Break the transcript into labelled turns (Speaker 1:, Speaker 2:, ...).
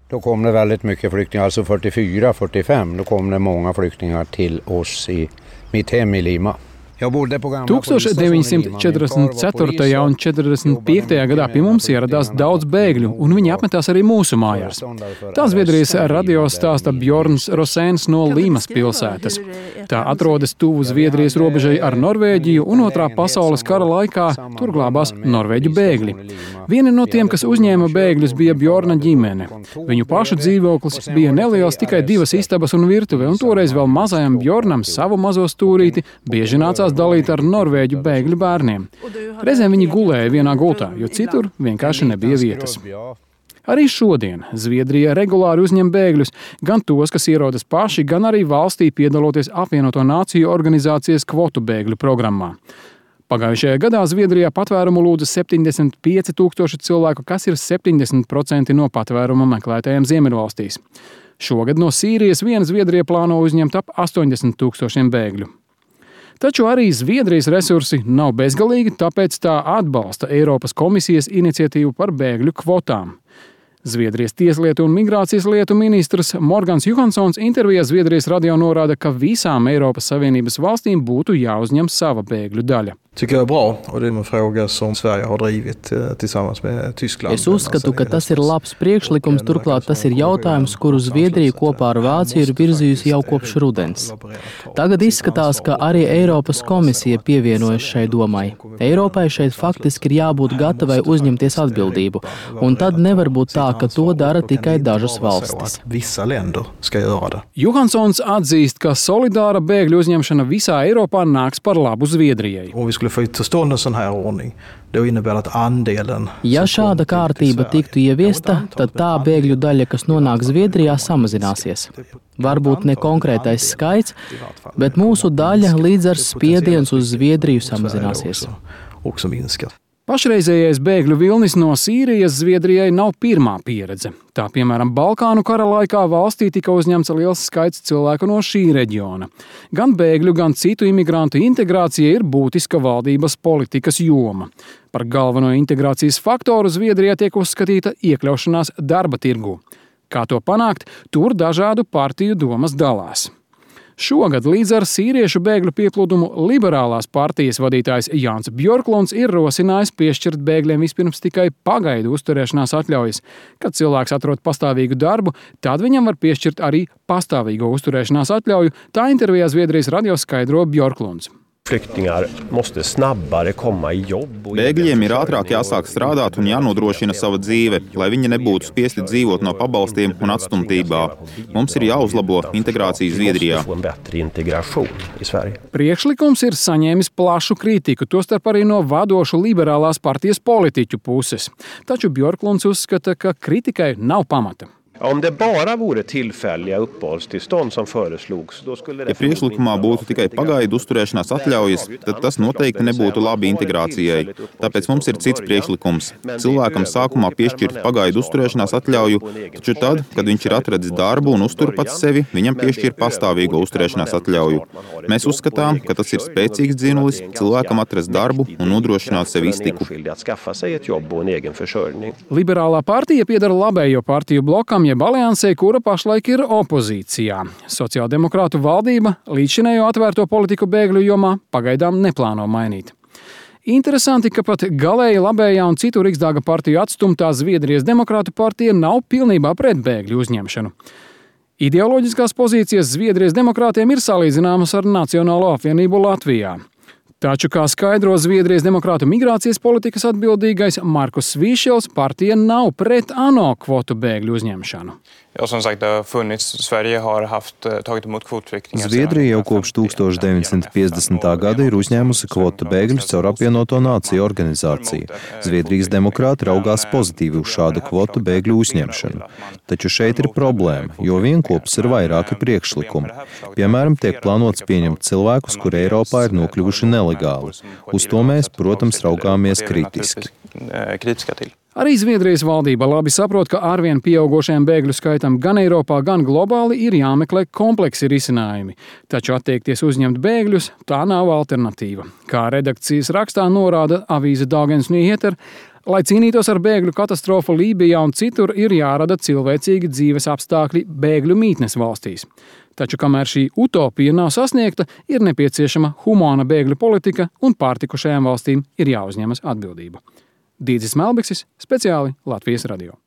Speaker 1: Då kom det väldigt mycket flyktingar, alltså 44-45. Då kom det många flyktingar till oss i mitt hem i Lima.
Speaker 2: 1944. un 45. gadā pie mums ieradās daudz bēgļu, un viņi apmetās arī mūsu mājās. Tā Zviedrijas radio stāsta Bjorns Rosēns no Līmas pilsētas. Tā atrodas tuvu Zviedrijas robežai ar Norvēģiju, un Otrā pasaules kara laikā tur glābās norvēģu bēgļi. Vieni no tiem, kas uzņēma bēgļus, bija Bjorna ģimene. Viņu pašu dzīvoklis bija neliels, tikai 2 istabas un virtuve, un toreiz vēl mazajam Bjornam savu mazo stūrīti bieži nācās dalīt ar norvēģu bēgļu bērniem. Reizēm viņi gulēja vienā gultā, jo citur vienkārši nebija vietas. Arī šodien Zviedrija regulāri uzņem bēgļus, gan tos, kas ierodas paši, gan arī valstī piedaloties Apvienoto Nāciju organizācijas kvotu bēgļu programmā. Pagājušajā gadā Zviedrijā patvērumu lūdza 75 000 cilvēku, kas ir 70% no patvēruma meklētājiem Ziemeļvalstīs. Šogad no Sīrijas vien Zviedrija plāno uzņemt ap 80 000 bēgļu. Taču arī Zviedrijas resursi nav bezgalīgi, tāpēc tā atbalsta Eiropas komisijas iniciatīvu par bēgļu kvotām. Zviedrijas tieslietu un migrācijas lietu ministrs Morgans Johanssons intervijā Zviedrijas radio norāda, ka visām Eiropas Savienības valstīm būtu jāuzņem sava bēgļu daļa.
Speaker 3: Tycker jag är bra, och det är en fråga som Sverige har drivit tillsammans med Tyskland.
Speaker 4: Es uzskatu, ka tas ir labs priekšlikums, turklāt tas ir jautājums, kuru Zviedrija kopā ar Vāciju ir virzījusi jau kopš rudens. Tagad izskatās, ka arī Eiropas komisija pievienojas šai domai. Eiropai šeit faktiski ir jābūt gatavai uzņemties atbildību, un tad nevar būt tā, ka to dara tikai dažas valstis.
Speaker 2: Johanssons atzīst, ka solidāra bēgļu uzņemšana visā Eiropā nāks par labu Zviedrijai.
Speaker 4: Ja šāda kārtība tiktu ieviesta, tad tā bēgļu daļa, kas nonāk Zviedrijā, samazināsies. Varbūt ne konkrētais skaits, bet mūsu daļa līdz ar spiediens uz Zviedriju samazināsies.
Speaker 2: Pašreizējais bēgļu vilnis no Sīrijas Zviedrijai nav pirmā pieredze. Tā, piemēram, Balkānu kara laikā valstī tika uzņemts liels skaits cilvēku no šī reģiona. Gan bēgļu, gan citu imigrantu integrācija ir būtiska valdības politikas joma. Par galveno integrācijas faktoru Zviedrijā tiek uzskatīta iekļaušanās darba tirgū. Kā to panākt, tur dažādu partiju domas dalās. Šogad līdz ar sīriešu bēgļu pieplūdumu liberālās partijas vadītājs Jānis Bjorklunds ir rosinājis piešķirt bēgļiem vispirms tikai pagaidu uzturēšanās atļaujas. Kad cilvēks atrod pastāvīgu darbu, tad viņam var piešķirt arī pastāvīgo uzturēšanās atļauju, tā intervijā Zviedrijas radio skaidro Bjorklunds.
Speaker 5: Bēgļiem ir ātrāk jāsāk strādāt un jānodrošina sava dzīve, lai viņi nebūtu spiesti dzīvot no pabalstiem un atstumtībā. Mums ir jāuzlabo integrācija Zviedrijā.
Speaker 2: Priekšlikums ir saņēmis plašu kritiku, tostarp arī no vadošu liberālās partijas politiķu puses. Taču Bjorklunds uzskata, ka kritikai nav pamata.
Speaker 5: Ja priekšlikumā būtu tikai pagaidu uzturēšanās atļaujas, tad tas noteikti nebūtu labi integrācijai. Tāpēc mums ir cits priekšlikums. Cilvēkam sākumā piešķirt pagaidu uzturēšanās atļauju, taču tad, kad viņš ir atradis darbu un uztur pats sevi, viņam piešķir pastāvīgo uzturēšanās atļauju. Mēs uzskatām, ka tas ir spēcīgs dzinulis cilvēkam atrast darbu un nodrošināt sev iztiku.
Speaker 2: Liberālā partija piedara labējo partiju blokam, jeb aliansei, kura pašlaik ir opozīcijā. Sociāldemokrātu valdība līdzšinējo atvērto politiku bēgļu jomā pagaidām neplāno mainīt. Interesanti, ka pat galēji labējā un citu Riksdaga partiju atstumtā Zviedrijas demokrātu partija nav pilnībā pret bēgļu uzņemšanu. Ideoloģiskās pozīcijas Zviedrijas demokrātiem ir salīdzināmas ar Nacionālo apvienību Latvijā. Taču, kā skaidro Zviedrijas demokrātu migrācijas politikas atbildīgais Markus Vīšels, partija nav pret ANO kvotu bēgļu uzņemšanu.
Speaker 6: Zviedrija jau kopš 1950. gada ir uzņēmusi kvotu bēgļus caur Apvienoto Nāciju organizāciju. Zviedrijas demokrāti raugās pozitīvi uz šādu kvotu bēgļu uzņemšanu. Taču šeit ir problēma, jo vienkopus ir vairāki priekšlikumi. Piemēram, tiek plānots pieņemt cilvēkus, kuri Eiropā ir nokļuvuši nelegāli. Uz to mēs, protams, raugāmies kritiski.
Speaker 2: Arī Zviedrijas valdība labi saprot, ka arvien pieaugošajam bēgļu skaitam gan Eiropā, gan globāli ir jāmeklē kompleksi risinājumi. Taču atteikties uzņemt bēgļus, tā nav alternatīva. Kā redakcijas rakstā norāda avīze Dagens Nyheter, Lai cīnītos ar bēgļu katastrofu Lībijā un citur, ir jārada cilvēcīgi dzīves apstākļi bēgļu mītnes valstīs. Taču, kamēr šī utopija nav sasniegta, ir nepieciešama humāna bēgļu politika un pārtikušajām valstīm ir jāuzņemas atbildība. Dīdzis Melbiksis, speciāli Latvijas radio.